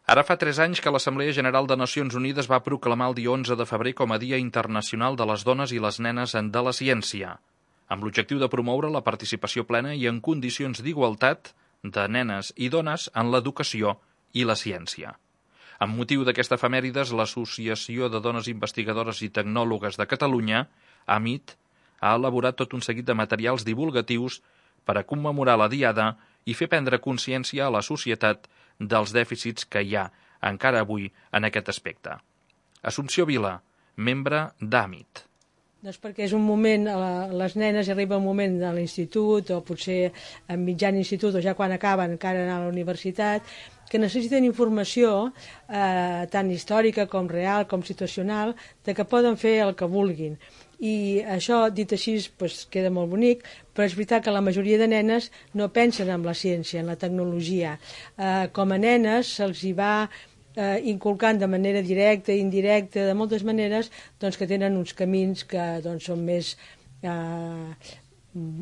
Ara fa 3 anys que l'Assemblea General de Nacions Unides va proclamar el dia 11 de febrer com a Dia Internacional de les Dones i les Nenes de la Ciència, amb l'objectiu de promoure la participació plena i en condicions d'igualtat de nenes i dones en l'educació i la ciència. Amb motiu d'aquesta efemèrides, l'Associació de Dones Investigadores i Tecnòlogues de Catalunya, AMIT, ha elaborat tot un seguit de materials divulgatius per a commemorar la diada i fer prendre consciència a la societat dels dèficits que hi ha encara avui en aquest aspecte. Assumpció Vila, membre d'AMIT. Doncs perquè és un moment, les nenes arriba un moment a l'institut o potser en mitjan institut o ja quan acaben encara anar a la universitat, que necessiten informació tant històrica com real, com situacional, de que poden fer el que vulguin. I això, dit així, doncs, queda molt bonic, però és veritat que la majoria de nenes no pensen en la ciència, en la tecnologia. Com a nenes se'ls hi va inculcant de manera directa i indirecta, de moltes maneres, doncs, que tenen uns camins que doncs, són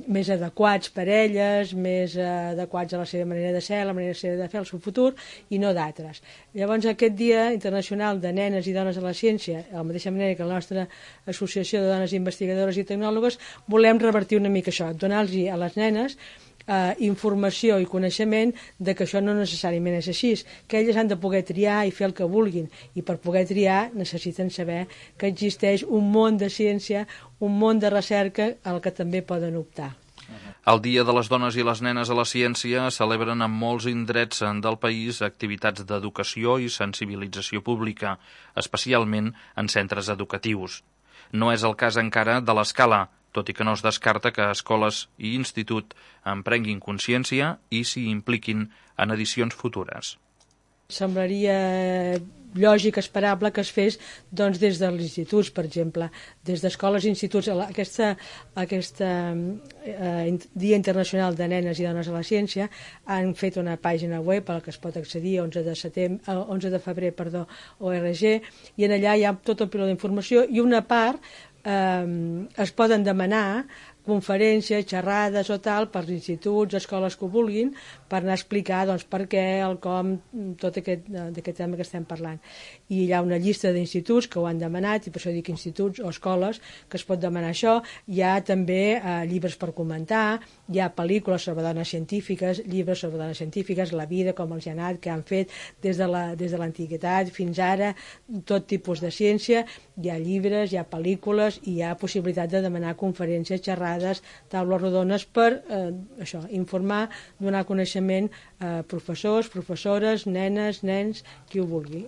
més adequats per elles, més adequats a la seva manera de ser, a la manera de fer el seu futur, i no d'altres. Llavors, aquest Dia Internacional de Nenes i Dones a la Ciència, de la mateixa manera que la nostra Associació de Dones Investigadores i Tecnòlogues, volem revertir una mica això, donar-los a les nenes informació i coneixement de que això no necessàriament és així, que elles han de poder triar i fer el que vulguin, i per poder triar necessiten saber que existeix un món de ciència, un món de recerca al que també poden optar. El Dia de les Dones i les Nenes a la Ciència celebren en molts indrets del país activitats d'educació i sensibilització pública, especialment en centres educatius. No és el cas encara de l'Escala, tot i que no es descarta que escoles i institut en prenguin consciència i s'hi impliquin en edicions futures. Semblaria lògic, esperable que es fes doncs, des dels instituts, per exemple, des d'escoles i instituts. Aquest Dia Internacional de Nenes i Dones a la Ciència han fet una pàgina web a la que es pot accedir, 11 de febrer, org, i en allà hi ha tot el piló d'informació i una part es poden demanar conferències, xerrades o tal per instituts, escoles que ho vulguin, per anar a explicar doncs, per què, el com, tot aquest tema que estem parlant. I hi ha una llista d'instituts que ho han demanat, i per això dic instituts o escoles, que es pot demanar això. Hi ha també llibres per comentar, hi ha pel·lícules sobre dones científiques, llibres sobre dones científiques, la vida, com els hi ha anat, que han fet des de l'antiguitat fins ara, tot tipus de ciència. Hi ha llibres, hi ha pel·lícules i hi ha possibilitat de demanar conferències, xerrades, taules rodones per informar, donar coneixement a professors, professores, nenes, nens, qui ho vulgui.